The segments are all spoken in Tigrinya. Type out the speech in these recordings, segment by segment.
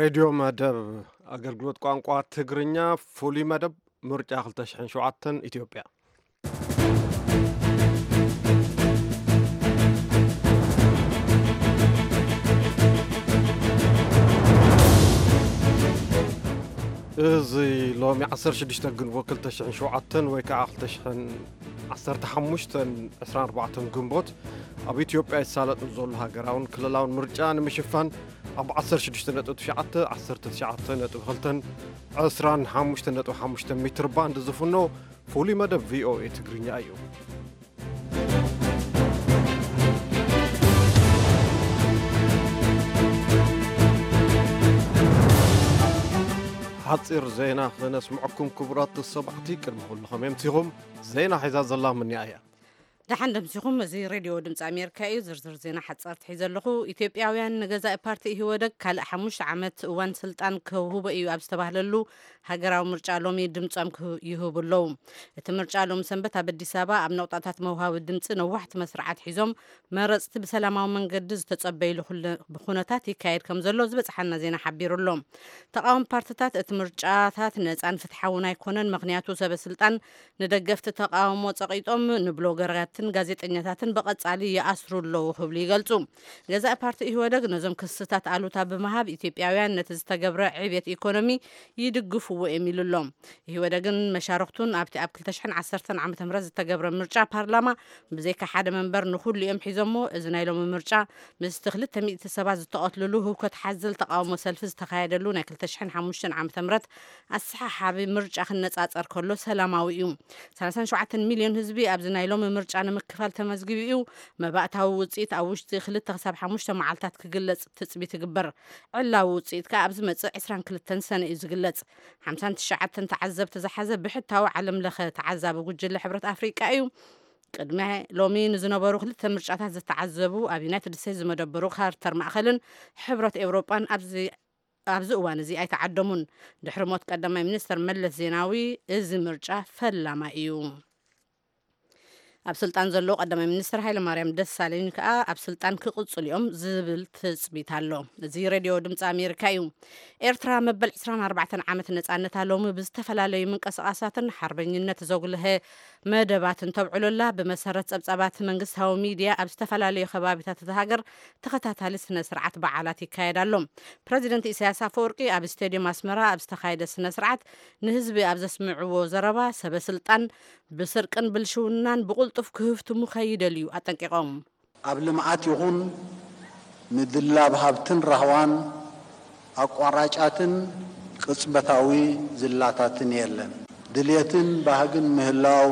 ሬድዮ መደብ ኣገልግሎት ቋንቋ ትግርኛ፣ ፍሉይ መደብ ምርጫ ክልተ ሽሕን ሸውዓተን ኢትዮጵያ። እዚ ሎሚ ዓሰርተ ሽዱሽተ ግንቦት ክልተ ሽሕን ሸውዓተን ወይ ከዓ ክልተ ሽሕን ዓሰርተ ሓሙሽተን ዕስራን ኣርባዕተን ግንቦት ኣብ ኢትዮጵያ ይሳለጥ ዘሎ ሃገራውን ክልላውን ምርጫ ንምሽፋን ኣብ ዓሰርተ ሽዱሽተ ነጥቢ ትሽዓተ፣ ዓሰርተ ትሽዓተ ነጥቢ ክልተን ዕስራን ሓሙሽተ ነጥቢ ሓሙሽተ ሜትር ባንድ ዝፍኖ ፍሉይ መደብ ቪ ኦ ኤ ትግርኛ እዩ። ሓጺር ዜና ክነስምዐኩም ክቡራት ተሰማዕቲ። ቅድሚ ኩሉ ከመይ ኣምሲኹም? ዜና ሒዛ ዘላ ምንያ እያ። ደሓን ደምሲኹም። እዚ ሬድዮ ድምፂ ኣሜሪካ እዩ። ዝርዝር ዜና ሓፃርቲ ሒዘ ኣለኹ። ኢትዮጵያውያን ንገዛኢ ፓርቲ ኢህወደግ ካልእ ሓሙሽተ ዓመት እዋን ስልጣን ክህቦ እዩ ኣብ ዝተባህለሉ ሃገራዊ ምርጫ ሎሚ ድምፆም ክህ- ይህቡ ኣለዉ። እቲ ምርጫ ሎሚ ሰንበት ኣብ ኣዲስ ኣበባ ኣብ ነቑጣታት መውሃቢ ድምፂ ነዋሕቲ መስርዓት ሒዞም መረፅቲ ብሰላማዊ መንገዲ ዝተፀበይሉ ኩለ- ብኩነታት ይካየድ ከም ዘሎ ዝበፅሓና ዜና ሓቢሩ ኣሎ። ተቃወሚ ፓርትታት እቲ ምርጫታት ነፃን ፍትሓውን ኣይኮነን፣ ምክንያቱ ሰበ ስልጣን ንደገፍቲ ተቃውሞ ጸቒጦም ንብሎገራትን ጋዜጠኛታትን ብቐጻሊ ይኣስሩ ኣለዉ ክብሉ ይገልጹ። ገዛኢ ፓርቲ ኢህወደግ ነዞም ክስታት ኣሉታ ብምሃብ ኢትዮጵያውያን ነቲ ዝተገብረ ዕብየት ኢኮኖሚ ይድግፍዎ እዮም ኢሉ ኣሎ። ኢህወደግን መሻርክቱን ኣብቲ ኣብ ክልተ ሽሕን ዓሰርተን ዓመተ ምህረት ዝተገብረ ምርጫ ፓርላማ ብዘይካ ሓደ መንበር ንኹሉ እዮም ሒዞሞ። እዚ ናይ ሎሚ ምርጫ ምስቲ ክልተ ሚእቲ ሰባት ዝተቐትልሉ ህውከት ሓዘል ተቃውሞ ሰልፊ ዝተኻየደሉ ናይ ክልተ ሽሕን ሓሙሽተን ዓመተ ምህረት ኣሰሓሓቢ ምርጫ ክነጻጸር ከሎ ሰላማዊ እዩ። ሰላሳን ሸውዓተን ሚልዮን ህዝቢ ኣብዚ ናይ ሎሚ ምርጫ ንምክፋል ተመዝጊቡ እዩ። መባእታዊ ውጽኢት ኣብ ውሽጢ ክልተ ክሳብ ሓሙሽተ መዓልታት ክግለጽ ትጽቢት ይግበር። ዕላዊ ውጽኢት ከኣ ኣብ ዝመጽእ ዕስራን ክልተን ሰነ እዩ ዝግለጽ። ሓምሳን ትሽዓተን ተዓዘብቲ ዝሓዘ ብሕታዊ ዓለም ለኸ ተዓዛቢ ጉጅለ ሕብረት ኣፍሪቃ እዩ። ቅድሚ ሎሚ ንዝነበሩ ክልተ ምርጫታት ዝተዓዘቡ ኣብ ዩናይትድ ስቴትስ ዝመደበሩ ካርተር ማእኸልን ሕብረት ኤውሮጳን ኣብዚ ኣብዚ እዋን እዚ ኣይተዓደሙን። ድሕሪ ሞት ቀዳማይ ሚኒስተር መለስ ዜናዊ እዚ ምርጫ ፈላማይ እዩ። ኣብ ስልጣን ዘለዉ ቀዳማይ ሚኒስተር ሃይለማርያም ደሳለኝ ከኣ ኣብ ስልጣን ክቕጽሉ እዮም ዝብል ትጽቢት ኣሎ። እዚ ሬድዮ ድምፂ ኣሜሪካ እዩ። ኤርትራ መበል ዕስራን ኣርባዕተን ዓመት ነጻነታ ሎሚ ብዝተፈላለዩ ምንቅስቓሳትን ሓርበኝነት ዘጉልሀ መደባትን ተብዕሎላ። ብመሰረት ጸብጻባት መንግስታዊ ሚድያ ኣብ ዝተፈላለዩ ከባቢታት እታ ሃገር ተኸታታሊ ስነ ስርዓት በዓላት ይካየድ ኣሎ። ፕረዚደንት ኢሳያስ ኣፈወርቂ ኣብ ስቴድዮም ኣስመራ ኣብ ዝተኻየደ ስነ ስርዓት ንህዝቢ ኣብ ዘስምዕዎ ዘረባ ሰበ ስልጣን ብስርቅን ብልሽውናን ብቕልጡፍ ክህፍትሙ ከይደልዩ ኣጠንቂቖም። ኣብ ልምዓት ይኹን ምድላብ ሃብትን ራህዋን ኣቋራጫትን ቅጽበታዊ ዝላታትን የለን። ድልየትን ባህግን ምህላው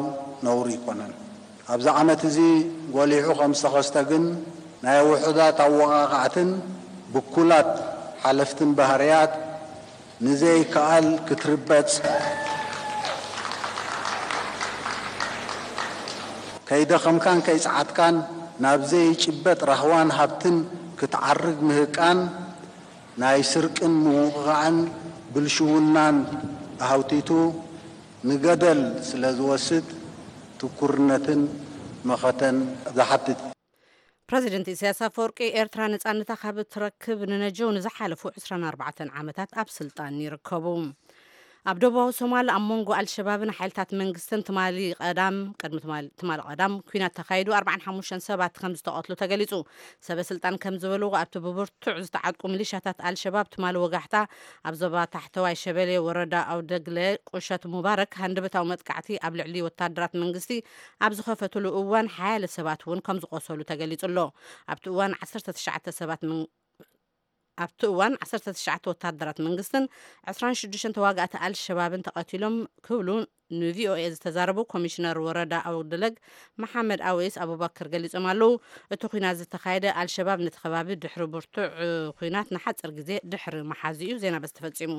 ነውሪ ኣይኮነን። ኣብዚ ዓመት እዚ ጎሊሑ ከም ዝተኸስተ ግን ናይ ውሑዳት ኣወቓቓዕትን ብኩላት ሓለፍትን ባህርያት ንዘይከኣል ክትርበጽ ከይደኸምካን ከይጸዓትካን ናብ ዘይጭበጥ ራህዋን ሃብትን ክትዓርግ ምህቃን ናይ ስርቅን ምውቕቓዕን ብልሽውናን ኣሃውቲቱ ንገደል ስለ ዝወስድ ትኩርነትን መኸተን ዝሓትት። ፕረዚደንት ኢሳያስ ኣፈወርቂ ኤርትራ ነጻነታ ካብ እትረክብ ንነጀው ንዝሓለፉ ዕስራን ኣርባዕተን ዓመታት ኣብ ስልጣን ይርከቡ። ኣብ ደቡባዊ ሶማል ኣብ መንጎ ኣልሸባብን ሓይልታት መንግስትን ትማሊ ቀዳም ቅድሚ ትማሊ ትማሊ ቀዳም ኲናት ተኻይዱ ኣርባዓን ሓሙሽተን ሰባት ከም ዝተቐትሉ ተገሊጹ። ሰበ ስልጣን ከም ዝበልዎ ኣብቲ ብብርቱዕ ዝተዓጥቁ ሚሊሻታት ኣልሸባብ ትማሊ ወጋሕታ ኣብ ዞባ ታሕተዋይ ሸበሌ ወረዳ ኣውደግለ ቁሸት ሙባረክ ሃንደበታዊ መጥቃዕቲ ኣብ ልዕሊ ወታደራት መንግስቲ ኣብ ዝኸፈትሉ እዋን ሓያለ ሰባት እውን ከም ዝቆሰሉ ተገሊጹ ኣሎ። ኣብቲ እዋን ዓሰርተ ትሽዓተ ሰባት ምን- ኣብቲ እዋን ዓሰርተ ትሽዓተ ወታደራት መንግስትን ዕስራን ሽዱሽተን ተዋጋእቲ ኣልሸባብን ተቐቲሎም ክብሉ ንቪኦኤ ዝተዛረቡ ኮሚሽነር ወረዳ ኣውደለግ መሓመድ ኣወይስ ኣቡበክር ገሊጾም ኣለዉ። እቲ ኲናት ዝተኻየደ ኣልሸባብ ነቲ ከባቢ ድሕሪ ብርቱዕ ኲናት ንሓፂር ግዜ ድሕሪ መሓዙ እዩ። ዜና በዚ ተፈጺሙ።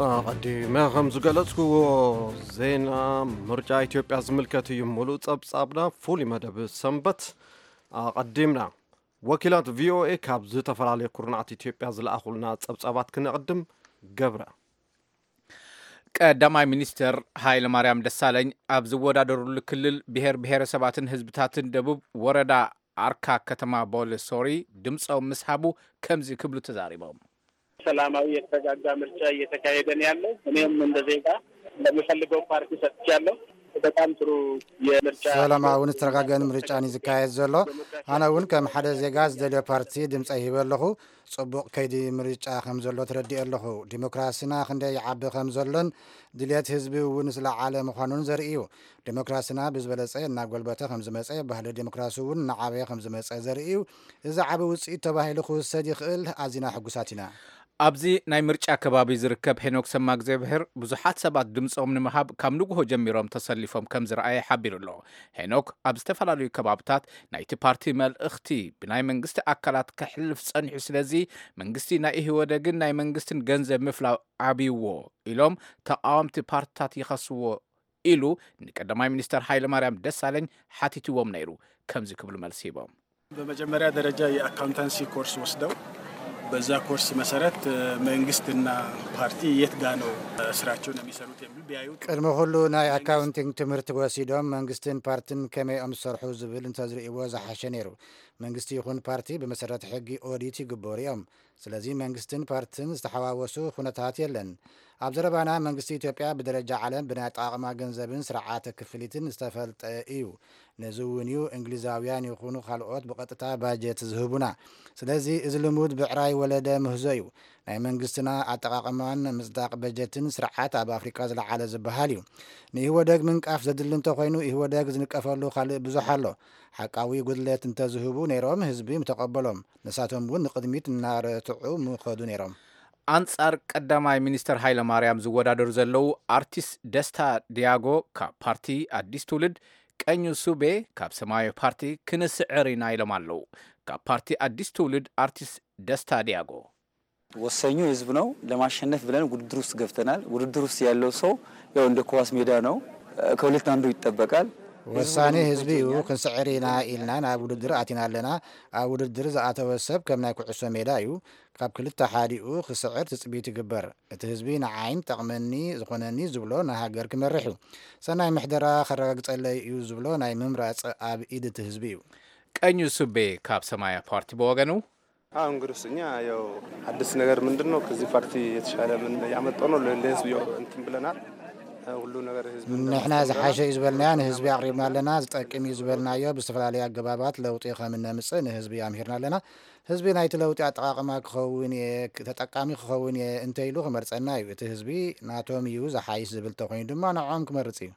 ኣቐዲመ ከም ዝገለጽክዎ፣ ዜና ምርጫ ኢትዮጵያ ዝምልከት እዩ። ሙሉእ ጸብጻብና ፍሉይ መደብ ሰንበት ኣቐዲምና። ወኪላት ቪኦኤ ካብ ዝተፈላለዩ ኩርናዓት ኢትዮጵያ ዝለኣኹልና ጸብጻባት ክነቕድም። ገብረ። ቀዳማይ ሚኒስትር ሃይለ ማርያም ደሳለኝ ኣብ ዝወዳደሩሉ ክልል ብሔር ብሔረሰባትን ህዝብታትን ደቡብ ወረዳ ኣርካ ከተማ ቦሌ ሶሪ ድምፆም ምስ ሃቡ ከምዚ ክብሉ ተዛሪቦም። ሰላማዊ የተረጋጋ ምርጫ እየተካሄደ ነው ያለው። እኔም እንደ ዜጋ ለምፈልገው ፓርቲ ሰጥቻለሁ። በጣም ጥሩ የምርጫ ሰላማውን ዝተረጋገን ምርጫን እዩ ዝካየድ ዘሎ። ኣነ እውን ከም ሓደ ዜጋ ዝደልዮ ፓርቲ ድምፀ ይህበ ኣለኹ። ፅቡቕ ከይዲ ምርጫ ከም ዘሎ ተረዲኦ ኣለኹ። ዲሞክራሲና ክንደይ ይዓቢ ከም ዘሎን ድልየት ህዝቢ እውን ዝለዓለ ምዃኑን ዘርኢ እዩ። ዲሞክራሲና ብዝበለፀ እናጎልበተ ከም ዝመፀ፣ ባህሊ ዲሞክራሲ እውን እናዓበየ ከም ዝመፀ ዘርኢ እዩ። እዚ ዓቢ ውፅኢት ተባሂሉ ክውሰድ ይኽእል። ኣዚና ሕጉሳት ኢና። ኣብዚ ናይ ምርጫ ከባቢ ዝርከብ ሄኖክ ሰማእግዚኣብሄር ብዙሓት ሰባት ድምፆም ንምሃብ ካብ ንግሆ ጀሚሮም ተሰሊፎም ከም ዝረኣየ ሓቢሩ ኣሎ። ሄኖክ ኣብ ዝተፈላለዩ ከባብታት ናይቲ ፓርቲ መልእኽቲ ብናይ መንግስቲ ኣካላት ከሕልፍ ጸኒሑ፣ ስለዚ መንግስቲ ናይ ኢህወደግን ናይ መንግስትን ገንዘብ ምፍላው ዓብይዎ ኢሎም ተቃወምቲ ፓርትታት ይኸስዎ ኢሉ ንቀዳማይ ሚኒስተር ሃይለማርያም ደሳለኝ ሓቲትዎም ነይሩ። ከምዚ ክብሉ መልሲ ሂቦም። በመጀመሪያ ደረጃ የአካውንታንሲ ኮርስ ወስደው በዛ ኮርስ መሰረት መንግስትና ፓርቲ የት ጋ ነው ስራቸውን የሚሰሩት የሚል ቢያዩ ቅድሚ ኩሉ ናይ ኣካውንቲንግ ትምህርቲ ወሲዶም መንግስትን ፓርትን ከመይ እዮም ዝሰርሑ ዝብል እንተዝርእይዎ ዝሓሸ ነይሩ። መንግስቲ ይኹን ፓርቲ ብመሰረት ሕጊ ኦዲት ይግበሩ እዮም። ስለዚ መንግስትን ፓርትን ዝተሓዋወሱ ኩነታት የለን። ኣብ ዘረባና መንግስቲ ኢትዮጵያ ብደረጃ ዓለም ብናይ ኣጠቓቕማ ገንዘብን ስርዓተ ክፍሊትን ዝተፈልጠ እዩ። ነዚ እውን እዩ እንግሊዛውያን ይኹኑ ካልኦት ብቐጥታ ባጀት ዝህቡና። ስለዚ እዚ ልሙድ ብዕራይ ወለደ ምህዞ እዩ። ናይ መንግስትና ኣጠቓቕማን ምጽዳቕ በጀትን ስርዓት ኣብ ኣፍሪቃ ዝለዓለ ዝበሃል እዩ። ንኢህወደግ ምንቃፍ ዘድሊ እንተኾይኑ ኢህወደግ ዝንቀፈሉ ካልእ ብዙሕ ኣሎ። ሓቃዊ ጉድለት እንተዝህቡ ነይሮም ህዝቢ ምተቐበሎም። ንሳቶም እውን ንቕድሚት እናረትዑ ምኸዱ ነይሮም። ኣንጻር ቀዳማይ ሚኒስተር ሃይለ ማርያም ዝወዳደሩ ዘለዉ ኣርቲስት ደስታ ዲያጎ ካብ ፓርቲ ኣዲስ ትውልድ፣ ቀኙ ሱቤ ካብ ሰማያዊ ፓርቲ ክንስዕር ኢና ኢሎም ኣለዉ። ካብ ፓርቲ ኣዲስ ትውልድ ኣርቲስት ደስታ ዲያጎ። ወሳኙ ህዝብ ነው። ለማሸነፍ ብለን ውድድር ውስጥ ገብተናል። ውድድር ውስጥ ያለው ሰው ያው እንደ ኳስ ሜዳ ነው። ከሁለት አንዱ ይጠበቃል። ወሳኒ ህዝቢ እዩ። ክንስዕር ኢና ኢልና ናብ ውድድር ኣቲና ኣለና። ኣብ ውድድር ዝኣተወ ሰብ ከም ናይ ኩዕሶ ሜዳ እዩ። ካብ ክልተ ሓዲኡ ክስዕር ትፅቢት ይግበር። እቲ ህዝቢ ንዓይን ጠቕመኒ ዝኾነኒ ዝብሎ ንሃገር ክመርሕ እዩ። ሰናይ ምሕደራ ከረጋግፀለይ እዩ ዝብሎ ናይ ምምራፅ ኣብ ኢድ እቲ ህዝቢ እዩ። ቀኙ ሱቤ ካብ ሰማያዊ ፓርቲ ብወገኑ አሁ እንግዲህ እኛ ያው አዲስ ነገር ምንድን ነው? ከዚህ ፓርቲ የተሻለ ምን ያመጣው ነው ለህዝብ ያው እንትን ብለናል። ሁሉ ነገር ህዝብ ንሕና ዝሓሸ እዩ ዝበልናዮ ንህዝቢ ኣቕሪብና ኣለና። ዝጠቅም እዩ ዝበልናዮ ብዝተፈላለዩ ኣገባባት ለውጢ ከም እነምፅእ ንህዝቢ ኣምሂርና ኣለና። ህዝቢ ናይቲ ለውጢ ኣጠቓቕማ ክኸውን እየ፣ ተጠቃሚ ክኸውን እየ እንተኢሉ ክመርፀና እዩ። እቲ ህዝቢ ናቶም እዩ ዝሓይሽ ዝብል ተኮይኑ ድማ ንዕኦም ክመርፅ እዩ።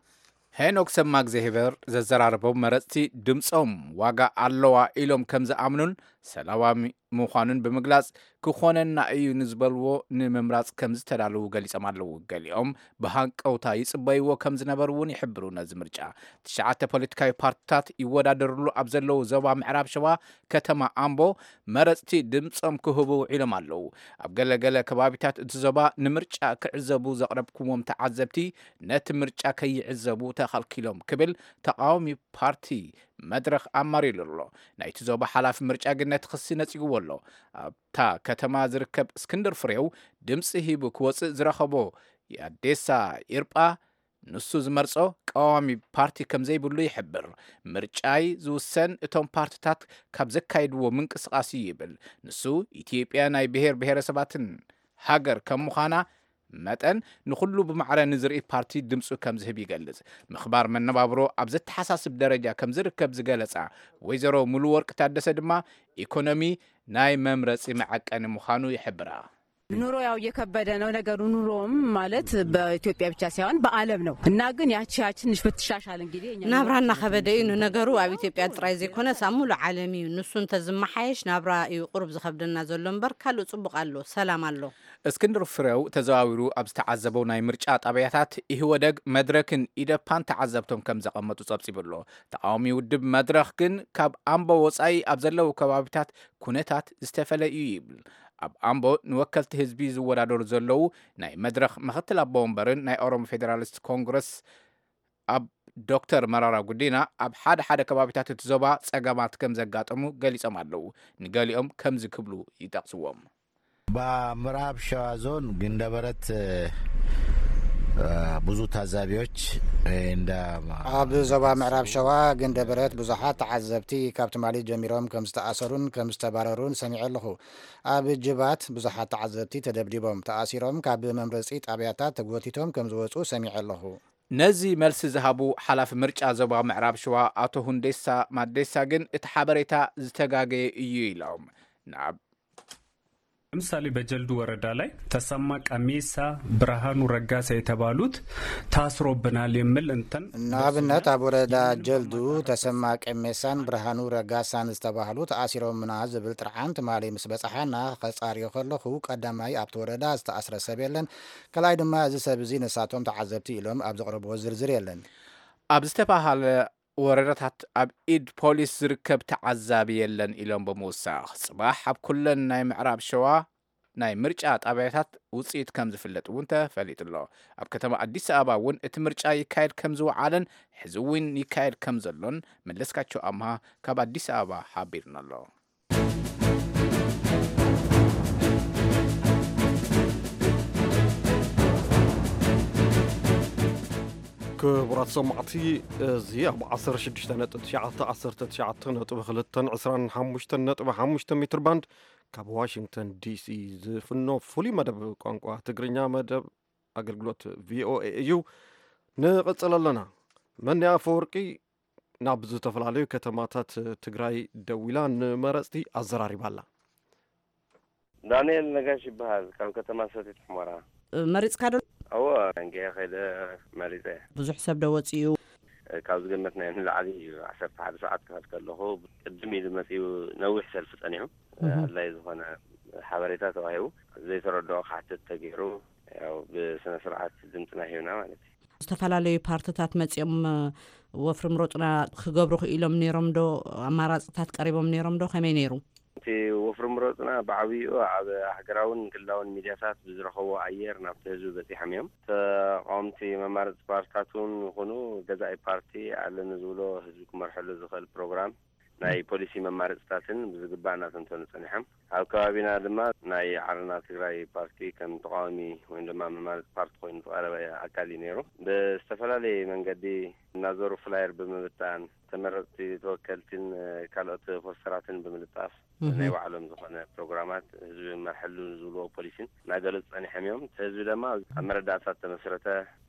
ሄኖክ ሰማእግዚኣብሄር ዘዘራረቦም መረፅቲ ድምፆም ዋጋ ኣለዋ ኢሎም ከም ዝኣምኑን ሰላማዊ ምዃኑን ብምግላፅ ክኾነና እዩ ንዝበልዎ ንምምራፅ ከም ዝተዳለዉ ገሊፆም ኣለዉ። ገሊኦም ብሃንቀውታ ይፅበይዎ ከም ዝነበሩ እውን ይሕብሩ። ነዚ ምርጫ ትሽዓተ ፖለቲካዊ ፓርትታት ይወዳደርሉ ኣብ ዘለዉ ዞባ ምዕራብ ሸዋ ከተማ ኣምቦ መረፅቲ ድምፆም ክህቡ ውዒሎም ኣለዉ። ኣብ ገለገለ ከባቢታት እቲ ዞባ ንምርጫ ክዕዘቡ ዘቕረብኩዎም ተዓዘብቲ ነቲ ምርጫ ከይዕዘቡ ተኸልኪሎም ክብል ተቓዋሚ ፓርቲ መድረኽ ኣማሪሉ ኣሎ። ናይቲ ዞባ ሓላፊ ምርጫ ግን ነቲ ክሲ ነጺግዎ ኣሎ። ኣብታ ከተማ ዝርከብ እስክንድር ፍሬው ድምፂ ሂቡ ክወፅእ ዝረኸቦ የኣዴሳ ኢርጳ ንሱ ዝመርጾ ቀዋሚ ፓርቲ ከም ዘይብሉ ይሕብር። ምርጫይ ዝውሰን እቶም ፓርትታት ካብ ዘካይድዎ ምንቅስቓስ እዩ ይብል። ንሱ ኢትዮጵያ ናይ ብሔር ብሔረሰባትን ሃገር ከም ምዃና መጠን ንኹሉ ብማዕረ ንዝርኢ ፓርቲ ድምፁ ከም ዝህብ ይገልጽ። ምኽባር መነባብሮ ኣብ ዘተሓሳስብ ደረጃ ከም ዝርከብ ዝገለጻ ወይዘሮ ሙሉወርቅ ታደሰ ድማ ኢኮኖሚ ናይ መምረፂ መዐቀኒ ምዃኑ ይሕብራ። ኑሮ ያው እየከበደ ነው ነገሩ። ኑሮም ማለት በኢትዮጵያ ብቻ ሳይሆን በዓለም ነው እና ግን ያቺ ያችንሽ ብትሻሻል እንግዲህ እኛ ናብራ እናኸበደ እዩ። ንነገሩ ኣብ ኢትዮጵያ ጥራይ ዘይኮነስ ኣብ ሙሉእ ዓለም እዩ። ንሱ እንተዝመሓየሽ ናብራ እዩ ቁሩብ ዝኸብደና ዘሎ እምበር ካልእ ጽቡቕ ኣሎ፣ ሰላም ኣሎ። እስክንድር ፍሬው ተዘዋዊሩ ኣብ ዝተዓዘበው ናይ ምርጫ ጣብያታት ኢህወደግ፣ መድረክን ኢደፓን ተዓዘብቶም ከም ዘቐመጡ ጸብጺቡ ኣሎ። ተቃዋሚ ውድብ መድረኽ ግን ካብ ኣምቦ ወጻኢ ኣብ ዘለዉ ከባቢታት ኩነታት ዝተፈለ እዩ ይብል። ኣብ ኣምቦ ንወከልቲ ህዝቢ ዝወዳደሩ ዘለዉ ናይ መድረኽ ምኽትል ኣቦ ወንበርን ናይ ኦሮሞ ፌዴራሊስት ኮንግረስ ኣብ ዶክተር መራራ ጉዲና፣ ኣብ ሓደ ሓደ ከባቢታት እቲ ዞባ ጸገማት ከም ዘጋጠሙ ገሊጾም ኣለዉ። ንገሊኦም ከምዚ ክብሉ ይጠቕስዎም። በምዕራብ ሸዋ ዞን ግንደበረት፣ እ፣ ብዙ ታዛቢዎች፣ እ፣ እንደ ኣብ ዞባ ምዕራብ ሸዋ ግንደበረት ብዙሓት ተዓዘብቲ ካብ ትማሊ ጀሚሮም ከም ዝተኣሰሩን ከም ዝተባረሩን ሰሚዐ ኣለኹ። ኣብ ጅባት ብዙሓት ተዓዘብቲ ተደብዲቦም፣ ተኣሲሮም፣ ካብ መምረጺ ጣብያታት ተጎቲቶም ከም ዝወጹ ሰሚዐ ኣለኹ። ነዚ መልሲ ዝሃቡ ሓላፊ ምርጫ ዞባ ምዕራብ ሸዋ ኣቶ ሁንዴሳ ማዴሳ ግን እቲ ሓበሬታ ዝተጋገየ እዩ ኢሎም። ናብ ለምሳሌ በጀልዱ ወረዳ ላይ ተሰማ ቀሜሳ፣ ብርሃኑ ረጋሳ የተባሉት ታስሮብናል የሚል እንትን ንኣብነት ኣብ ወረዳ ጀልዱ ተሰማ ቀሜሳን ብርሃኑ ረጋሳን ዝተባህሉ ተኣሲሮምና ዝብል ጥርዓን ትማሊ ምስ በጻሓና ከጻርዮ ከለኹ ቀዳማይ ኣብቲ ወረዳ ዝተኣስረ ሰብ የለን፣ ካልኣይ ድማ እዚ ሰብ እዚ ንሳቶም ተዓዘብቲ ኢሎም ኣብ ዘቕረብዎ ዝርዝር የለን። ኣብ ዝተባሃለ ወረዳታት ኣብ ኢድ ፖሊስ ዝርከብ ተዓዛቢ የለን ኢሎም ብምውሳኽ፣ ጽባሕ ኣብ ኩለን ናይ ምዕራብ ሸዋ ናይ ምርጫ ጣብያታት ውጽኢት ከም ዝፍለጥ እውን ተፈሊጡ ኣሎ። ኣብ ከተማ ኣዲስ ኣበባ እውን እቲ ምርጫ ይካየድ ከም ዝወዓለን ሕዚ እውን ይካየድ ከም ዘሎን መለስካቸው ኣምሃ ካብ ኣዲስ ኣበባ ሓቢርና ኣሎ። ክቡራት ሰማዕቲ፣ እዚ ኣብ ዓሰርተ ሽዱሽተ ነጥቢ ትሽዓተ፣ ዓሰርተ ትሽዓተ ነጥቢ ክልተ፣ ዕስራን ሓሙሽተን ነጥቢ ሓሙሽተ ሜትር ባንድ ካብ ዋሽንግተን ዲሲ ዝፍኖ ፍሉይ መደብ ቋንቋ ትግርኛ መደብ ኣገልግሎት ቪኦኤ እዩ። ንቐጽል ኣለና። መኒ ኣፈወርቂ ናብ ዝተፈላለዩ ከተማታት ትግራይ ደዊላ ንመረጽቲ ኣዘራሪባ ኣላ። ዳንኤል ነጋሽ ይበሃል፣ ካብ ከተማ ሰቲት ሑመራ። መሪጽካ ዶ? እወ፣ እንጌ ከይደ መሪጸ። ብዙሕ ሰብ ዶ ወጺኡ? ካብ ዝገመትናዮ ንላዕሊ እዩ። ዓሰርተ ሓደ ሰዓት ክኸድ ከለኹ ቅድም ኢሉ መጺኡ፣ ነዊሕ ሰልፊ ጸኒሑ፣ እህ። ኣድላይ ዝኾነ ሓበሬታ ተዋሂቡ፣ ዘይተረድኦ ክሓትት ተገይሩ፣ ያው ብስነ ስርዓት ድምፅና ሂብና ማለት እዩ። ዝተፈላለዩ ፓርትታት መፂኦም፣ እ፣ ወፍሪ ምረጡና ክገብሩ ክኢሎም ነይሮም ዶ? ኣማራፅታት ቀሪቦም ነይሮም ዶ? ከመይ ነይሩ? እቲ ወፍሪ ምረጡና ብዓብይኡ ኣብ ሃገራውን ክልላውን ሚድያታት ብዝረኸቦ ኣየር ናብቲ ህዝቢ በፂሖም እዮም። ተቃወምቲ መማረፂ ፓርትታት እውን ይኹኑ ገዛኢ ፓርቲ ኣለኒ ዝብሎ ህዝቢ ክመርሐሉ ዝኽእል ፕሮግራም ናይ ፖሊሲ መማረፅታትን ብዝግባእ እናተንተኑ ፀኒሖም። ኣብ ከባቢና ድማ ናይ ዓረና ትግራይ ፓርቲ ከም ተቃዋሚ ወይ ድማ መማረፂ ፓርቲ ኮይኑ ዝቀረበ ኣካል እዩ ነይሩ። ብዝተፈላለየ መንገዲ እናዞሩ ፍላየር ብምብታን፣ ተመረፅቲ ተወከልትን ካልኦት ፖስተራትን ብምልጣፍ፣ እህ። ናይ ባዕሎም ዝኾነ ፕሮግራማት ህዝቢ መርሐሉ ዝብልዎ ፖሊሲን እናገለፁ ፀኒሖም እዮም። እቲ ህዝቢ ድማ ኣብ መረዳእታ ዝተመስረተ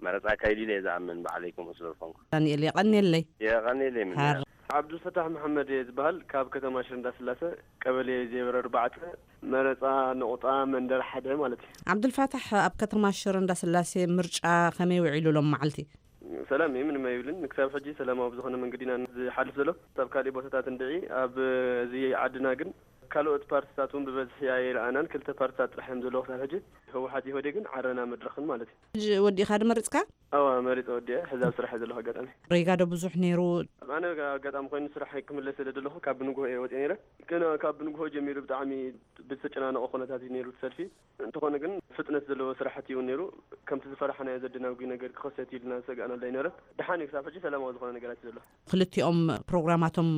መረፃ ኣካይዱ ኢለ እየ ዝኣምን፣ ባዕለይ ከምኡ ስለ ዝኾንኩ። ዳንኤል፣ የቐንየለይ። የቐንየለይ፣ ምንያ። ሓር- ዓብዱልፈታሕ መሓመድ እየ ዝበሃል፣ ካብ ከተማ ሽረ እንዳስላሰ፣ ቀበሌ ዜሮ ኣርባዕተ፣ መረፃ ነቑጣ መንደር ሓደ ማለት እዩ። ዓብዱልፋታሕ፣ ኣብ ከተማ ሽረ እንዳስላሴ ምርጫ ከመይ ውዒሉ ሎም መዓልቲ? ሰላም እዩ፣ ምንም ኣይብልን። ክሳብ ሕጂ ሰላማዊ ብዝኾነ መንገዲ ኢና ዝሓልፍ ዘሎ። ኣብ ካሊእ ቦታታት እንድዒ፣ ኣብ እዚ ዓድና ግን ካልኦት ፓርትታት እውን ብበዝሒ ኣይረኣናን። ክልተ ፓርትታት ጥራሕ እዮም ዘለዉ ክሳብ ሕጂ፣ ህወሓት ኢህወዴግን ዓረና መድረኽን ማለት እዩ። ሕጂ ወዲእኻ ዶ መሪፅካ? ኣዋ፣ መሪፀ ወዲአ፣ ሕዚ ኣብ ስራሕ እየ ዘለኹ ኣጋጣሚ። ሪጋ ዶ ብዙሕ ነይሩ? ኣነ ኣጋጣሚ ኮይኑ ስራሕ ክምለስ ስለ ዘለኹ ካብ ብንግሆ እየ ወፂአ ነይረ። ግን ካብ ብንግሆ ጀሚሩ ብጣዕሚ ብዝተጨናነቐ ኩነታት እዩ ነይሩ እቲ ሰልፊ። እንተኾነ ግን ፍጥነት ዘለዎ ስራሕቲ እውን ነይሩ። ከምቲ ዝፈራሕናዮ ዘደናጉ ነገር ክኸሰት ኢልና ዝሰጋእናሉ ኣይነበረን። ደሓን እዩ፣ ክሳብ ሕጂ ሰላማዊ ዝኾነ ነገራት እዩ ዘሎ። ክልቲኦም ፕሮግራማቶም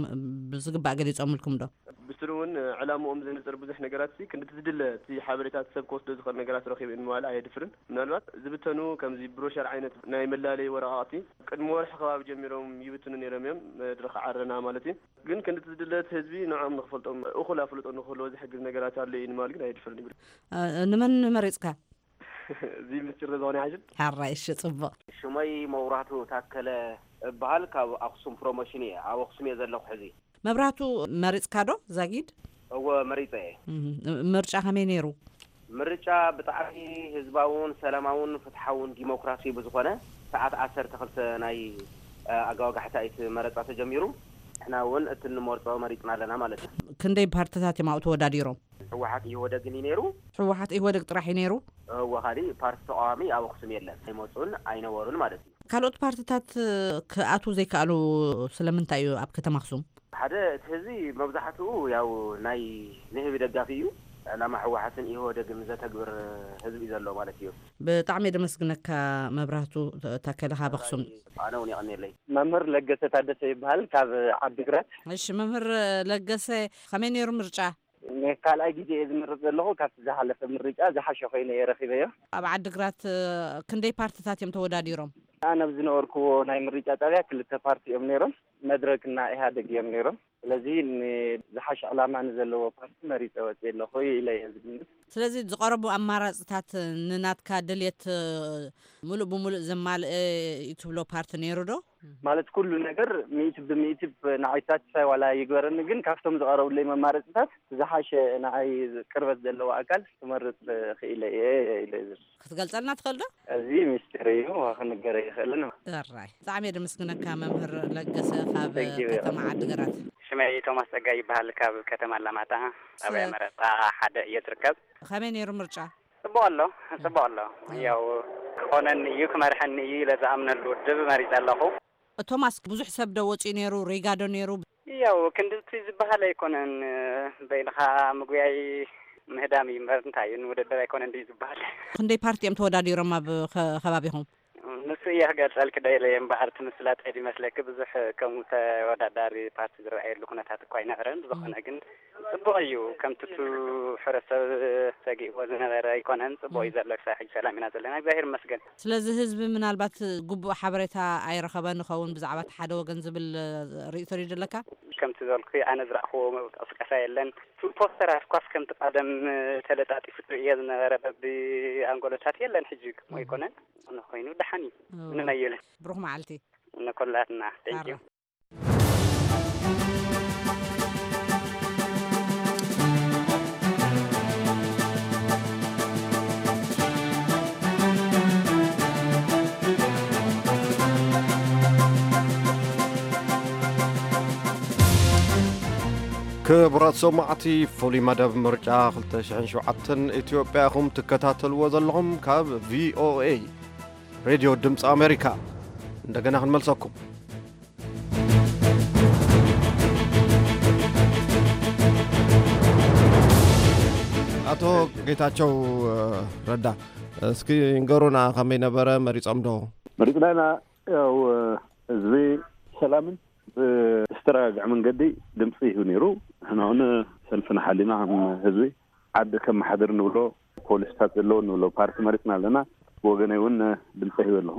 ብዝግባእ ገሊጾምልኩም ዶ? ብስሩ እውን ዕላምኦም ዘንጽር ብዙሕ ነገራት ሲ ክንዲ ዝድለ እቲ ሓበሬታ ሰብ ክወስዶ ዝኽእል ነገራት ረኺበ ንምባል ኣየድፍርን። ምናልባት ዝብተኑ ከምዚ ብሮሸር ዓይነት ናይ መላለዪ ወረቓቕቲ ቅድሚ ወርሒ ከባቢ ጀሚሮም ይብትኑ ነይሮም እዮም፣ መድረኽ ዓረና ማለት እዩ። ግን ክንዲ ዝድለ እቲ ህዝቢ ንዕኦም ንኽፈልጦም እኹል ኣፍልጦ ንክህልዎ ዝሕግዝ ነገራት ኣሎ እዩ ንምባል ግን ኣየድፍርን ይብል። እ፣ ንመን መሪጽካ? እዚ ምስጢር ዝኾነ ይሓይሽ። ሓራይ፣ እሺ፣ ጽቡቕ። ሽመይ መብራህቱ ታከለ እበሃል፣ ካብ ኣኽሱም ፕሮሞሽን እየ። ኣብ ኣኽሱም እየ ዘለኹ ሕዚ። መብራህቱ መሪጽካ ዶ ዛጊድ? እወ፣ መሪጸ እየ። እም፣ ምርጫ ከመይ ነይሩ? ምርጫ ብጣዕሚ ህዝባውን ሰላማውን ፍትሓውን ዲሞክራሲ ብዝኾነ ሰዓት ዓሰርተ ክልተ ናይ፣ እ፣ ኣጋዋጋሕታ እቲ መረጻ ተጀሚሩ። ንሕና እውን እቲ እንመርጾ መሪጽና ኣለና ማለት እዩ። ክንደይ ፓርትታት እዮም ኣብኡ ተወዳዲሮም? ህወሓት ኢህወደግን እዩ ነይሩ። ህወሓት ኢህወደግ ጥራሕ እዩ ነይሩ? እወ፣ ካሊእ ፓርቲ ተቃዋሚ ኣብ ኣኽሱም የለን። ኣይመፁን ኣይነበሩን ማለት እዩ። ካልኦት ፓርትታት ክኣትዉ ዘይከኣሉ ስለምንታይ እዩ ኣብ ከተማ ኣኽሱም? ሓደ፣ እቲ ህዝቢ መብዛሕትኡ ያው ናይ ንህቢ ደጋፊ እዩ። ዕላማ ህወሓትን ኢህወደግን ዘተግብር ህዝቢ እዩ ዘሎ ማለት እዩ። ብጣዕሚ ደመስግነካ። መብራህቱ ታከለ ካብ ኣኽሱም። ኣነ እውን የቐንየለይ። መምህር ለገሰ ታደሰ ይበሃል፣ ካብ ዓዲግራት። እሺ መምህር ለገሰ፣ ከመይ ነይሩ ምርጫ? ንካልኣይ ግዜ እየ ዝምርጥ ዘለኹ። ካብቲ ዝሓለፈ ምርጫ ዝሓሸ ኮይኑ እየ ረኺበዮ። ኣብ ዓዲግራት ክንደይ ፓርትታት እዮም ተወዳዲሮም? ኣነ ኣብ ዝነበርኩዎ ናይ ምርጫ ጣብያ ክልተ ፓርቲ እዮም ነይሮም፣ መድረክና ኢህኣደግ እዮም ነይሮም። ስለዚ ንዝሓሸ ዕላማ ንዘለዎ ፓርቲ መሪፀ ወፅየ ኣለኹ ኢለ እየ ዝግምት። ስለዚ ዝቐረቡ ኣማራፅታት ንናትካ ድልየት ሙሉእ ብሙሉእ ዘማልአ እዩ ትብሎ ፓርቲ ነይሩ ዶ? ማለት ኩሉ ነገር ሚእቲ ብሚእቲ ንዓይ ሳትስፋይ ዋላ ይግበረኒ፣ ግን ካብቶም ዝቐረቡለይ መማረፅታት ዝሓሸ ንዓይ ቅርበት ዘለዎ ኣካል ክመርፅ ክኢለ እየ ኢለ እየ ዝብል። ክትገልፀልና ትኽእል ዶ? እዚ ሚስጢር እዩ፣ ክንገር ኣይኽእልን። ራይ ብጣዕሚ እየ ደመስግነካ መምህር ለገሰ ካብ Thank you። ከተማ ዓዲግራት። ሽመይ ቶማስ ጸጋይ ይበሃል፣ ካብ ከተማ ኣላማጣ፣ ጣብያ መረጣ ሓደ እየ ዝርከብ። ከመይ ነይሩ ምርጫ? ጽቡቕ ኣሎ፣ ጽቡቕ ኣሎ። ያው ክኾነኒ እዩ፣ ክመርሐኒ እዩ ኢለ ዝኣምነሉ ውድብ መሪጸ ኣለኹ። ቶማስ፣ ብዙሕ ሰብ ዶ ወጺኡ ነይሩ? ሪጋ ዶ ነይሩ? ያው ክንድቲ ዝበሃል ኣይኮነን፣ በይንኻ ምጉያይ ምህዳም እዩ እምበር እንታይ እዩ፣ ንውድድር ኣይኮነን ድዩ ዝበሃል። ክንደይ ፓርቲ እዮም ተወዳዲሮም ኣብ ከ-፣ ከባቢኹም? ንሱ እየ ክገልጸልኪ ደይለ እምበኣር፣ እቲ ምስላጥ እዩ ዝመስለኪ፣ ብዙሕ ከምኡ ተወዳዳሪ ፓርቲ ዝረኣየሉ ኩነታት እኳ ኣይነበረን። ብዝኾነ ግን ጽቡቕ እዩ። ከምቲ እቱ ሕብረተሰብ ሰጊእዎ ዝነበረ ኣይኮነን። ጽቡቕ እዩ ዘሎ። ክሳብ ሕጂ ሰላም ኢና ዘለና። እግዚኣብሔር ይመስገን። ስለዚ ህዝቢ ምናልባት ግቡእ ሓበሬታ ኣይረኸበን ይኸውን ብዛዕባ እቲ ሓደ ወገን ዝብል ርእይቶ ድዩ ዘለካ? ከምቲ ዝበልኩ ኣነ ዝረእኽዎ ምንቅስቃሳ የለን። እቲ ፖስተራት ኳስ ከምቲ ቀደም ተለጣጢፉ እየ ዝነበረ በቢ ኣንጎሎታት የለን። ሕጂ እሞ ኣይኮነን። እንኾይኑ ደሓን እዩ። እዎ። ምንም ኣየለን። ብሩኽ መዓልቲ። ንኩላትና። Thank you። ክቡራት ሰማዕቲ፣ ፍሉይ መደብ ምርጫ ክልተ ሽሕን ሸውዓተን ኢትዮጵያ ኢኹም ትከታተልዎ ዘለኹም ካብ ቪኦኤ ሬድዮ ድምፂ ኣሜሪካ። እንደገና ክንመልሰኩም። ኣቶ ጌታቸው ረዳ፣ እስኪ ንገሩና፣ ከመይ ነበረ? መሪጾም ዶ? መሪጽና ኢና። ያው ህዝቢ ሰላምን ብዝተረጋግዐ መንገዲ ድምፂ ይህብ ነይሩ። ንሕና እውን ሰልፍና ሓሊና ከም ህዝቢ ዓዲ ከመሓድር ንብሎ፣ ፖሊስታት ዘለዎ ንብሎ ፓርቲ መሪፅና ኣለና። ብወገነይ እውን ድምፂ ሂበ ኣለኹ።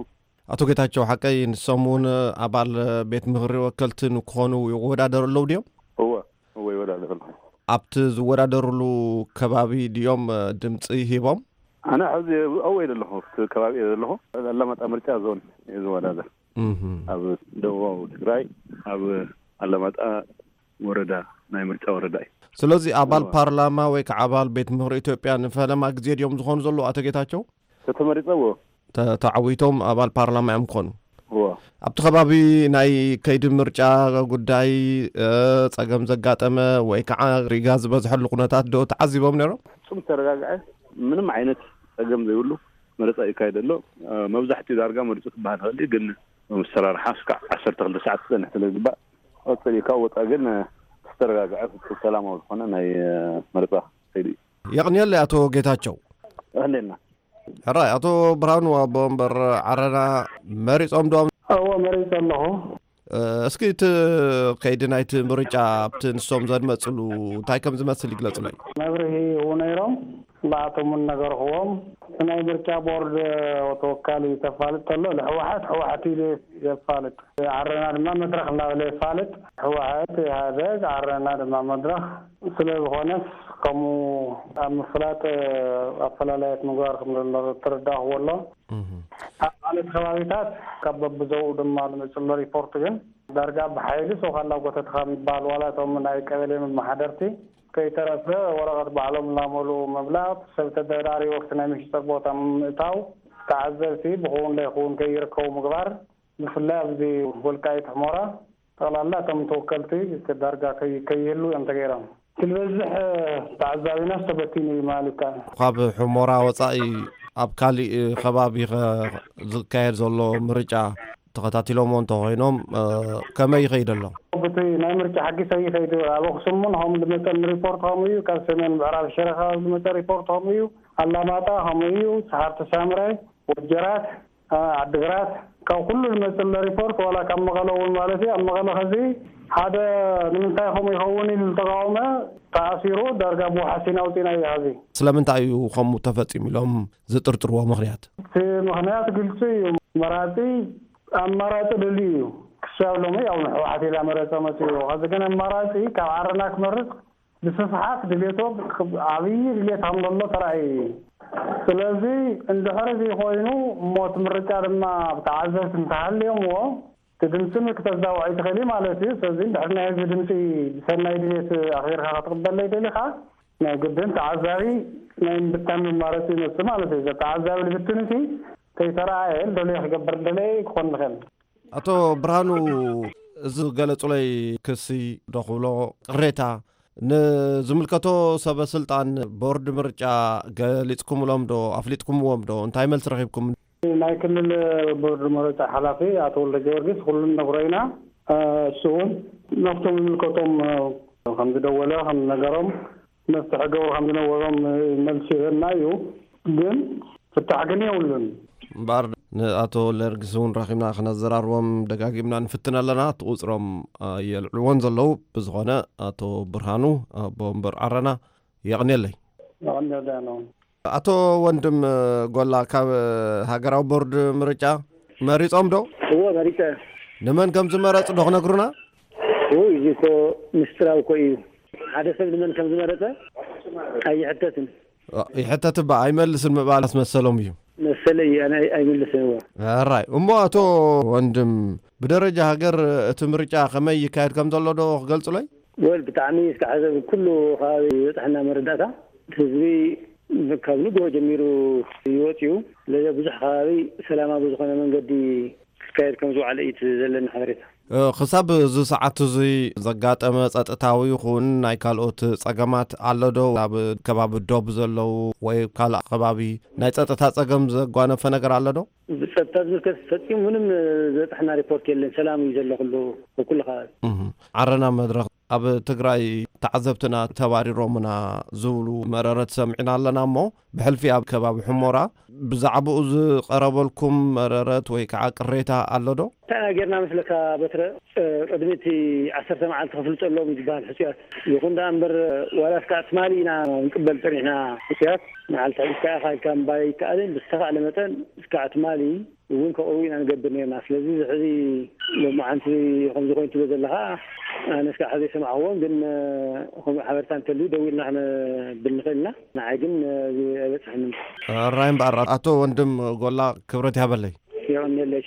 ኣቶ ጌታቸው ሓቀይ፣ ንሶም እውን ኣባል ቤት ምኽሪ ወከልቲ ንክኾኑ ይወዳደሩ ኣለዉ ድዮም? እወ፣ እወ፣ ይወዳደሩ ኣለዉ። ኣብቲ ዝወዳደሩሉ ከባቢ ድዮም ድምፂ ሂቦም? ኣነ ሕዚ ኣብኡ እየ ዘለኹ፣ ኣብቲ ከባቢ እየ ዘለኹ። ኣላማጣ ምርጫ ዞን እየ ዝወዳደር። እህ። ኣብ ደቡባዊ ትግራይ፣ ኣብ ኣላማጣ ወረዳ፣ ናይ ምርጫ ወረዳ እዩ። ስለዚ ኣባል እወ። ፓርላማ ወይ ከዓ ኣባል ቤት ምኽሪ ኢትዮጵያ ንፈለማ ግዜ ድዮም ዝኾኑ ዘለዉ፣ ኣቶ ጌታቸው? ተተመሪጸ እወ። ተ-፣ ተዓዊቶም ኣባል ፓርላማ እዮም ክኾኑ? እወ። ኣብቲ ከባቢ ናይ ከይዲ ምርጫ ጉዳይ፣ እ፣ ጸገም ዘጋጠመ ወይ ከዓ ሪጋ ዝበዝሐሉ ኩነታት ዶ ተዓዚቦም ነይሮም? ፍጹም ዝተረጋግዐ፣ ምንም ዓይነት ጸገም ዘይብሉ መረጻ ይካየድ ኣሎ። እ፣ መብዛሕትኡ ዳርጋ መሪጹ ክበሃል ይኽእል እዩ፣ ግን መሰራርሓ እስካዕ ዓሰርተ ክልተ ሰዓት ክጸንሕ ስለ ዝግባእ፣ ቀጽል እዩ። ካብ ወጻኢ ግን፣ እ፣ ዝተረጋግዐ ፍጹም ሰላማዊ ዝኾነ ናይ፣ እ፣ መረጻ ከይዱ እዩ። የቕንየለይ ኣቶ ጌታቸው። የቐንየልና። ሕራይ፣ ኣቶ ብርሃኑ ኣቦ ወንበር ዓረና መሪጾም ዶ? እወ፣ መሪጸ ኣለኹ። እ፣ እስኪ እቲ ከይዲ ናይቲ ምርጫ ኣብቲ ንሶም ዘድመጽሉ እንታይ ከም ዝመስል ይግለጹለይ። መብርሂ ይህቡ ነይሮም፣ ንኣቶም እውን ነገርክዎም። እቲ ናይ ምርጫ ቦርድ ተወካሊ ተፋልጥ ተሎ፣ ንሕወሓት ሕወሓት ኢሉ የፋልጥ፣ ዓረና ድማ መድረኽ እናበለ የፋልጥ። ሕወሓት፣ ኢህኣደግ፣ ዓረና ድማ መድረኽ። ስለ ዝኾነስ ከምኡ ኣብ ምፍላጥ ኣፈላላያት ምግባር ከም ዘሎ ተረዳእክዎ ኣሎ። እህ። ኣብ ካልኦት ከባቢታት ካብ በብዞባኡ ድማ ዝመፅእ ዘሎ ሪፖርት ግን ዳርጋ ብሓይሊ ሰው ካላጎተትኻ ምባል፣ ዋላ እቶም ናይ ቀበሌ መመሓደርቲ ከይተረፈ ወረቐት ባዕሎም እናመልኡ ምምላጥ፣ ሰብ ተደራሪቡ ኣብቲ ናይ መሸጣ ቦታ ምእታው፣ ተዓዘብቲ ብኽውን ለይኽውን ከይርከቡ ምግባር፣ ብፍላይ ኣብዚ ወልቃይት ሕሞራ ጠቕላላ እቶም ተወከልቲ ዳርጋ ከይ-፣ ከይህሉ እዮም ተገይሮም። እቲ ዝበዝሕ ተዓዛቢናስ ተበቲኑ እዩ ማለት ይከኣል። ካብ ሕሞራ ወጻኢ ኣብ ካሊእ ከባቢ ኸ ዝካየድ ዘሎ ምርጫ ተኸታቲሎምዎ እንተኾይኖም፣ እ፣ ከመይ ይኸይድ ኣሎ? ብቲ ናይ ምርጫ ሕጊ ሰይ ይኸይዱ። ኣብ ኣኽሱም እውን ከም ዝመፀ ሪፖርት ከምኡ እዩ። ካብ ሰሜን ምዕራብ ሽረ ከባቢ ዝመፀ ሪፖርት ከምኡ እዩ። ኣላማጣ ከምኡ እዩ። ሰሓርቲ ሳምረ፣ ወጀራት፣ እ፣ ዓዲግራት፣ ካብ ኩሉ ዝመፅእ ዘሎ ሪፖርት፣ ዋላ ካብ መቐለ እውን ማለት እዩ። ኣብ መቐለ ኸዚ ሓደ ንምንታይ ከምኡ ይኸውን ኢሉ ዝተቃወመ ተኣሲሩ፣ ዳርጋ ብዋሕሲን ኣውፂእናዮ ኸዚ። ስለምንታይ እዩ ከምኡ ተፈፂሙ ኢሎም ዝጥርጥርዎ ምኽንያት? እቲ ምኽንያት ግልፂ እዩ። መራፂ ኣማራፂ ደልዩ እዩ። ክሳብ ሎሚ ያው ንሕወሓት ኢላ መረፀ መፅኡ። ኸዚ ግን ኣማራፂ ካብ ዓረና ክመርፅ ብስፍሓት ድሌቶ ዓብዪ ድሌት ከም ዘሎ ተራእዩ እዩ። ስለዚ እንድሕር እዚ ኮይኑ እሞ እቲ ምርጫ ድማ ብተዓዘብቲ እንተሃልዮምዎ እቲ ድምፂ ክተዛውዕ ኣይትኽእል ማለት እዩ። ስለዚ እንድሕር ናይ ህዝቢ ድምፂ ብሰናይ ድሌት ኣኽቢርካ ክትቕበለይ ደሊኻ ናይ ግድን ተዓዛቢ ናይ ምብታን መማረፂ ይመፅእ ማለት እዩ። ተዓዛቢ ልብትንሲ ከይተረኣየ ደለየ ክገብር ደለየ ክኾን ንኽእል። ኣቶ ብርሃኑ፣ እዚ ገለጹለይ ክሲ ዶ ክብሎ ቅሬታ ንዝምልከቶ ሰበ ስልጣን ቦርድ ምርጫ ገሊጽኩምሎም ዶ? ኣፍሊጥኩምዎም ዶ? እንታይ መልሲ ረኺብኩም? ናይ ክልል ቦርድ ምርጫ ሓላፊ ኣቶ ወልደ ጊዮርጊስ ኩሉ ነግሮ ኢና። እሱ እውን ናብቶም ዝምልከቶም ከም ዝደወለ ከም ዝነገሮም መፍትሒ ገብሩ ከም ዝነበሮም መልሲ ይህበና እዩ። ግን ፍታሕ ግን የብሉን። እምበኣር ንኣቶ ወልደጊዮርጊስ እውን ረኺብና ክነዘራርቦም ደጋጊምና ንፍትን ኣለና። እቲ ቁፅሮም ኣየልዕልዎን ዘለዉ። ብዝኾነ ኣቶ ብርሃኑ ኣቦ ወንበር ዓረና የቕንየለይ። የቐንየለይ ኣነ እውን። ኣቶ ወንድም ጎላ ካብ ሃገራዊ ቦርድ ምርጫ መሪጾም ዶ? እዎ መሪጸ። ንመን ከም ዝመረጹ ዶ ክነግሩና? ውይ፣ እዚ እኮ ምስጢራዊ እኮ እዩ። ሓደ ሰብ ንመን ከም ዝመረጸ ኣይሕተትን። ይሕተት እባ ኣይመልስን ምባል ኣስመሰሎም እዩ። መሰለይ ኣነ ኣይ-፣ ኣይምልስን እዎ። ኣራይ እሞ ኣቶ ወንድም ብደረጃ ሃገር እቲ ምርጫ ከመይ ይካየድ ከም ዘሎ ዶ ክገልጹለይ? ወል ብጣዕሚ እስካዕ ሕዚ ኩሉ ከባቢ ዝበፅሐና መረዳእታ ህዝቢ ካብ ንግሆ ጀሚሩ ይወፅዩ። ስለዚ ብዙሕ ከባቢ ሰላማዊ ዝኾነ መንገዲ ክካየድ ከም ዝውዓለ እዩ እቲ ዘለኒ ሓበሬታ። እ፣ ክሳብ እዚ ሰዓት እዚ ዘጋጠመ ጸጥታዊ ይኹን ናይ ካልኦት ጸገማት ኣሎ ዶ? ኣብ ከባቢ ዶብ ዘለዉ ወይ ካልእ ከባቢ ናይ ጸጥታ ጸገም ዘጓነፈ ነገር ኣሎ ዶ? ብጸጥታ ዝምልከት ፈጺሙ ምንም ዝበጽሐና ሪፖርት የለን። ሰላም እዩ ዘሎ ኩሉ፣ ኩሉ ከባቢ። እህ። ዓረና መድረኽ ኣብ ትግራይ ተዓዘብትና ተባሪሮምና ዝብሉ መረረት ሰሚዕና ኣለና እሞ፣ ብሕልፊ ኣብ ከባቢ ሕሞራ ብዛዕባኡ ዝቐረበልኩም መረረት ወይ ከዓ ቅሬታ ኣሎ ዶ? እንታይ ኢና ጌርና መስለካ በትረ? እ፣ ቅድሚ እቲ ዓሰርተ መዓልቲ ከፍልጡ ኣለዎም እዩ ዝበሃል ሕጹያት። ይኹን ደኣ እምበር፣ ዋላ እስካዕ ትማሊ ኢና ንቅበል ጸኒሕና ሕጹያት። መዓልቲ ሕዚ እስካዕ ኢኻ ኢልካ ምባል ኣይከኣልን። ብዝተኻእለ መጠን እስካዕ ትማሊ እውን ከቕርቡ ኢና ንገብር ነርና። ስለዚ እዚ ሕዚ ሎማዓንቲ ከምዚ ኮይኑ ትብሎ ዘለኻ፣ ኣነ እስካዕ ሕዚ ኣይሰማዕኽዎን፣ ግን፣ እ፣ ከምኡ ሓበሬታ እንተልዩ ደዊልና ክነብል ንኽእል ኢና። ንዓይ ግን፣ እ፣ ኣይበጽሐንን። ራይ እምበኣር ኣቶ ወንድም ጎላ ክብረት ይሃበለይ። የቐንየለይ።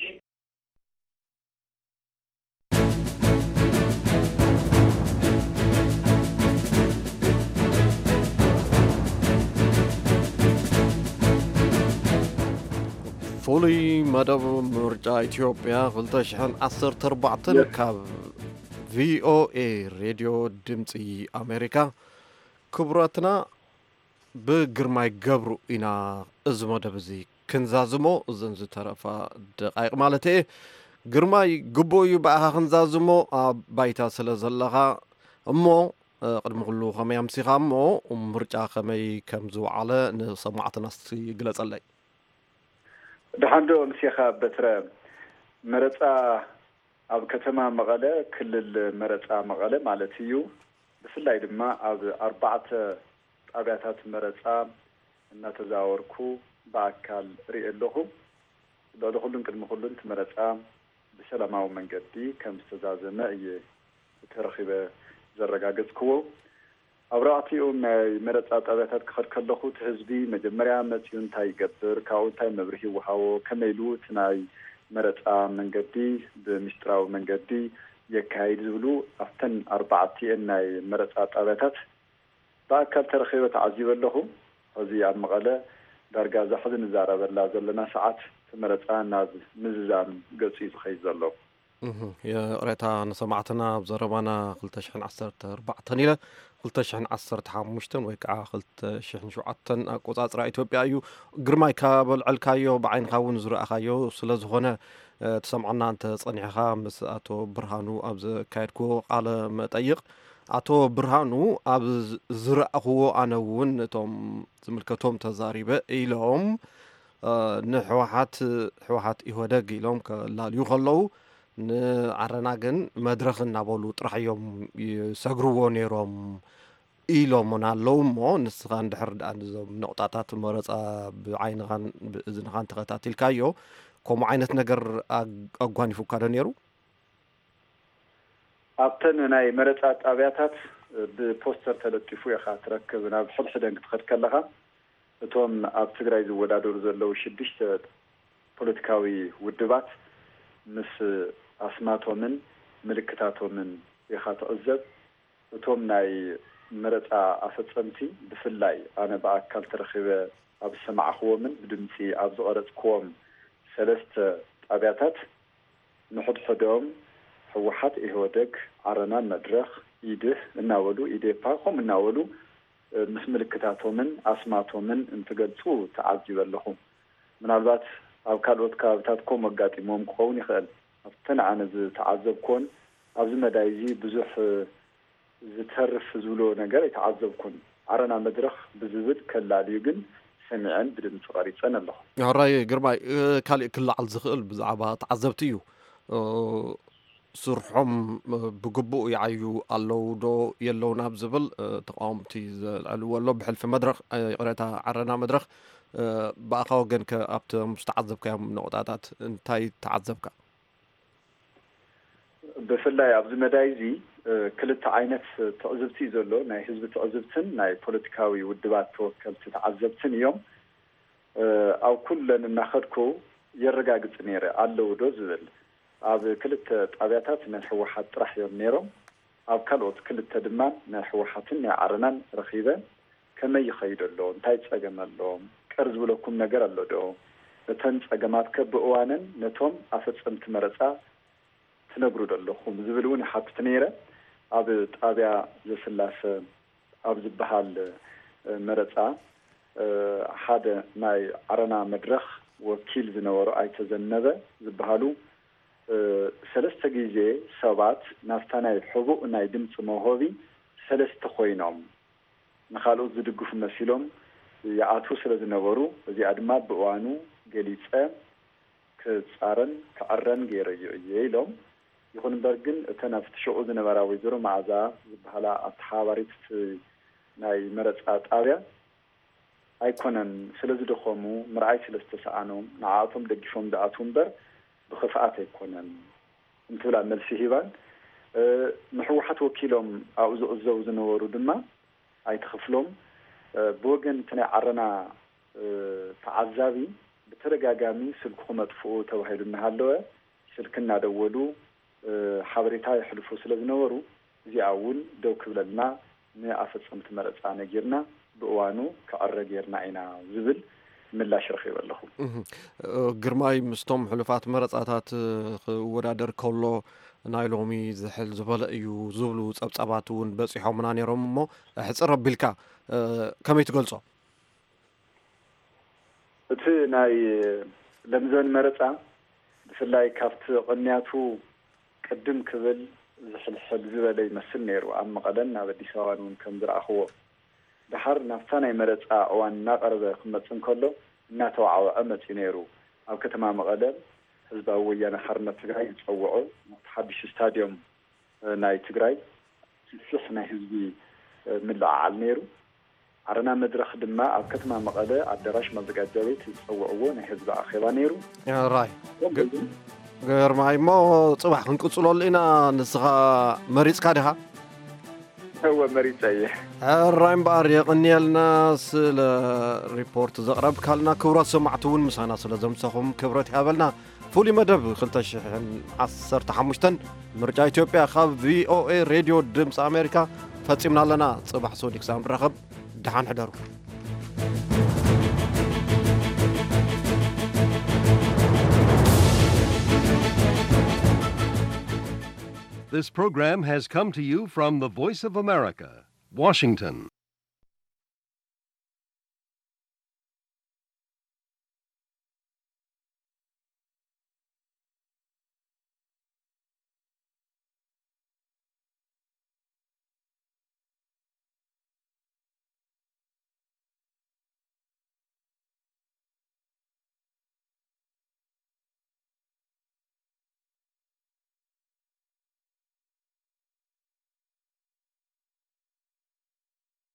ፍሉይ መደብ ምርጫ ኢትዮጵያ ክልተ ሽሕን ዓሰርተ ኣርባዕተን ካብ ቪኦኤ ሬድዮ ድምፂ ኣሜሪካ። ክቡራትና ብግርማይ ገብሩ ኢና እዚ መደብ እዚ ክንዛዝሞ፣ እዘን ዝተረፋ ደቃይቕ ማለት እየ። ግርማይ፣ ግቡእ እዩ ብኣኻ ክንዛዝሞ ኣብ ባይታ ስለ ዘለኻ። እሞ፣ እ፣ ቅድሚ ኩሉ ከመይ ኣምሲኻ እሞ ምርጫ ከመይ ከም ዝወዓለ ንሰማዕትና እስቲ ግለጸለይ። ደሓን ዶ ኣምሲኻ በትረ? መረጻ ኣብ ከተማ መቐለ፣ ክልል መረጻ መቐለ ማለት እዩ። ብፍላይ ድማ ኣብ ኣርባዕተ ጣብያታት መረጻ እናተዛወርኩ ብኣካል ርኢ ኣለኹ። ልዕሊ ኩሉን ቅድሚ ኩሉን እቲ መረጻ ብሰላማዊ መንገዲ ከም ዝተዛዘመ እየ ተረኺበ ዘረጋገጽክዎ። ኣብ ኣርባዕቲኡ ናይ መረጻ ጣብያታት ክኸድ ከለኹ፣ እቲ ህዝቢ መጀመርያ መጺኡ እንታይ ይገብር፣ ካብኡ እንታይ መብርሂ ይወሃቦ፣ ከመይ ኢሉ እቲ ናይ መረጻ መንገዲ ብምስጢራዊ መንገዲ የካይድ ዝብሉ፣ ኣብተን ኣርባዕቲኤን ናይ መረጻ ጣብያታት ብኣካል ተረኺበ ተዓዚበ ኣለኹ። ሕዚ ኣብ መቐለ ዳርጋ እዛ ሕዚ ንዛረበላ ዘለና ሰዓት እቲ መረጻ ናብ ምዝዛም ገጹ እዩ ዝኸይድ ዘሎ። እህ፣ ይቕሬታ ንሰማዕትና፣ ኣብ ዘረባና ክልተ ሽሕን ዓሰርተ ኣርባዕተን ኢለ ክልተ ሽሕን ዓሰርተ ሓሙሽተን ወይ ከዓ ክልተ ሽሕን ሸውዓተን ኣቆጻጽራ ኢትዮጵያ እዩ። ግርማይ፣ ካብ ኣልዐልካዮ፣ ብዓይንኻ እውን ዝረኣኻዮ ስለ ዝኾነ፣ እ፣ ትሰምዓና እንተ ጸኒሕኻ፣ ምስ ኣቶ ብርሃኑ ኣብ ዘካየድክዎ ቃለ መጠይቕ፣ ኣቶ ብርሃኑ፣ ኣብ ዝ-፣ ዝረኣኽዎ፣ ኣነ እውን እቶም ዝምልከቶም ተዛሪበ ኢሎም፣ እ፣ ንሕወሓት፣ ሕወሓት ኢህወደግ ኢሎም ከላልዩ ከለዉ፣ ንዓረና ግን መድረኽ እናበሉ ጥራሕ እዮም ይሰግርዎ ነይሮም ኢሎምና ኣለዉ። እሞ ንስኻ እንድሕር ደኣ ነዞም ነቑጣታት መረጻ ብዓይንኻን ብእዝንኻን ተኸታቲልካዮ፣ ከምኡ ዓይነት ነገር ኣግ-፣ ኣጓኒፉካ ዶ ነይሩ? ኣብተን ናይ መረጻ ጣብያታት ብፖስተር ተለጢፉ ኢኻ ትረክብ። ናብ ሕድሕደን ክትኸድ ከለኻ፣ እቶም ኣብ ትግራይ ዝወዳደሩ ዘለዉ ሽዱሽተ ፖለቲካዊ ውድባት ምስ ኣስማቶምን ምልክታቶምን ኢኻ ትዕዘብ። እቶም ናይ መረጻ ኣፈጸምቲ፣ ብፍላይ ኣነ ብኣካል ተረኺበ ኣብ ዝሰማዕኽዎምን ብድምጺ ኣብ ዝቐረጽክዎም ሰለስተ ጣብያታት፣ ንሕድሕዶም ህወሓት፣ ኢህወደግ፣ ዓረና፣ መድረኽ፣ ኢድህ እናበሉ፣ ኢዴፓ፣ ከምኡ እናበሉ፣ እ፣ ምስ ምልክታቶምን ኣስማቶምን እንትገልጹ ተዓዚበ ኣለኹ። ምናልባት ኣብ ካልኦት ከባብታት ከምኡ ኣጋጢሞም ክኸውን ይኽእል። ኣብተን ኣነ ዝተዓዘብኩዎን ኣብዚ መዳይ እዚ ብዙሕ፣ እ፣ ዝተርፍ ዝብሎ ነገር ኣይተዓዘብኩን። ዓረና መድረኽ ብዝብል ከላልዩ ግን ሰሚዐን ብድምፂ ቀሪፀን ኣለኹ። ሕራይ ግርማይ፣ እ፣ ካሊእ ክለዓል ዝኽእል ብዛዕባ ተዓዘብቲ እዩ። እ፣ ስርሖም፣ እ፣ ብግቡእ ይዓዩ ኣለዉ ዶ የለውን ኣብ ዝብል፣ እ፣ ተቃወምቲ ዘልዕልዎ ኣሎ። ብሕልፊ መድረኽ፣ እ፣ ይቕሬታ፣ ዓረና መድረኽ፣ እ፣ ብኣኻ ወገን ከ ኣብቶም ዝተዓዘብካዮም ነቑጣታት እንታይ ተዓዘብካ? ብፍላይ ኣብዚ መዳይ እዚ፣ እ፣ ክልተ ዓይነት ትዕዝብቲ እዩ ዘሎ። ናይ ህዝቢ ትዕዝብትን ናይ ፖለቲካዊ ውድባት ተወከልቲ ተዓዘብትን እዮም። እ፣ ኣብ ኩለን እናኸድኩ የረጋግጽ ነይረ፣ ኣለዉ ዶ ዝብል። ኣብ ክልተ ጣብያታት ናይ ህወሓት ጥራሕ እዮም ነይሮም። ኣብ ካልኦት ክልተ ድማ ናይ ህወሓትን ናይ ዓረናን ረኺበ፣ ከመይ ይኸይድ ኣሎ፣ እንታይ ጸገም ኣሎ፣ ቅር ዝብለኩም ነገር ኣሎ ዶ፣ እተን ጸገማት ከ ብእዋነን ነቶም ኣፈጸምቲ መረጻ ትነግሩ ዶ ኣለኹም ዝብል እውን ይሓትት ነይረ። ኣብ ጣብያ ዘስላሰ ኣብ ዝበሃል፣ እ፣ መረጻ፣ እ፣ ሓደ ናይ ዓረና መድረኽ ወኪል ዝነበሩ ኣይተ ዘነበ ዝበሃሉ፣ እ፣ ሰለስተ ግዜ ሰባት ናብታ ናይ ሕቡእ ናይ ድምፂ መውሃቢ ሰለስተ ኮይኖም ንኻልኦት ዝድግፉ መሲሎም ይኣትዉ ስለ ዝነበሩ፣ እዚኣ ድማ ብእዋኑ ገሊጸ ክጻረን ክዕረን ገይረዮ እየ ኢሎም። ይኹን እምበር ግን እተን ኣብቲ ሽዑ ዝነበራ ወይዘሮ መዓዛ ዝበሃላ ኣተሓባሪት እቲ ናይ መረጻ ጣብያ ኣይኮነን ስለ ዝደኸሙ፣ ምርኣይ ስለ ዝተሰኣኖም፣ ንዓኣቶም ደጊፎም ዝኣትዉ እምበር ብኽፍኣት ኣይኮነን እንትብላ መልሲ ሂባን፣ እ፣ ንህወሓት ወኪሎም ኣብኡ ዝዕዘቡ ዝነበሩ ድማ ኣይተ ክፍሎም፣ እ፣ ብወገን እቲ ናይ ዓረና፣ እ፣ ተዓዛቢ ብተደጋጋሚ ስልክኹም ኣጥፍኡ ተባሂሉ እናሃለወ ስልኪ እናደወሉ፣ እ፣ ሓበሬታ የሕልፉ ስለ ዝነበሩ፣ እዚኣ እውን ደው ክብለልና ንኣፈጸምቲ መረጻ ነጊርና ብእዋኑ ክዕረ ጌርና ኢና ዝብል ምላሽ ረኺበ ኣለኹ። እህ፣ እ፣ ግርማይ ምስቶም ሕሉፋት መረጻታት፣ እ፣ ክወዳደር ከሎ ናይ ሎሚ ዝሕል ዝበለ እዩ ዝብሉ ጸብጻባት እውን በጺሖምና ነይሮም እሞ፣ ሕጽር ኣቢልካ፣ እ፣ ከመይ ትገልጾ? እቲ ናይ ለምዘን መረጻ ብፍላይ ካብቲ ቅንያቱ ቅድም ክብል ዝሕልሕል ዝበለ ይመስል ነይሩ። ኣብ መቐለን ኣብ ኣዲስ ኣበባን እውን ከም ዝረኣኽዎ። ደሓር ናብታ ናይ መረጻ እዋን እናቐረበ ክመጽእ እንከሎ እናተዋዕወዐ መጺኡ ነይሩ። ኣብ ከተማ መቐለ ህዝባዊ ወያነ ሓርነት ትግራይ ዝጸውዖ ናብቲ ሓድሽ ስታድዮም፣ እ፣ ናይ ትግራይ ሰፊሕ ናይ ህዝቢ፣ እ፣ ምልዕዓል ነይሩ። ዓረና መድረኽ ድማ ኣብ ከተማ መቐለ ኣዳራሽ ማዘጋጃ ቤት ዝጸውዕዎ ናይ ህዝቢ ኣኼባ ነይሩ። ራይ ከምኡ እውን ግርማይ፣ እሞ ጽባሕ ክንቅጽለሉ ኢና። ንስኻ መሪጽካ ዲኻ? እወ፣ መሪጸ እየ። ሕራይ እምበኣር የቐንየልና ስለ ሪፖርት ዘቕረብካልና። ክቡራት ሰማዕቲ እውን ምሳና ስለ ዘምሰኹም ክብረት ይሃበልና። ፍሉይ መደብ ክልተ ሽሕን ዓሰርተ ሓሙሽተን ምርጫ ኢትዮጵያ ካብ ቪ ኦ ኤ ሬድዮ ድምፂ ኣሜሪካ ፈጺምና ኣለና። ጽባሕ ሰኑይ ክሳብ ንራኸብ፣ ደሓን ሕደሩ። This program has come to you from the Voice of America, Washington.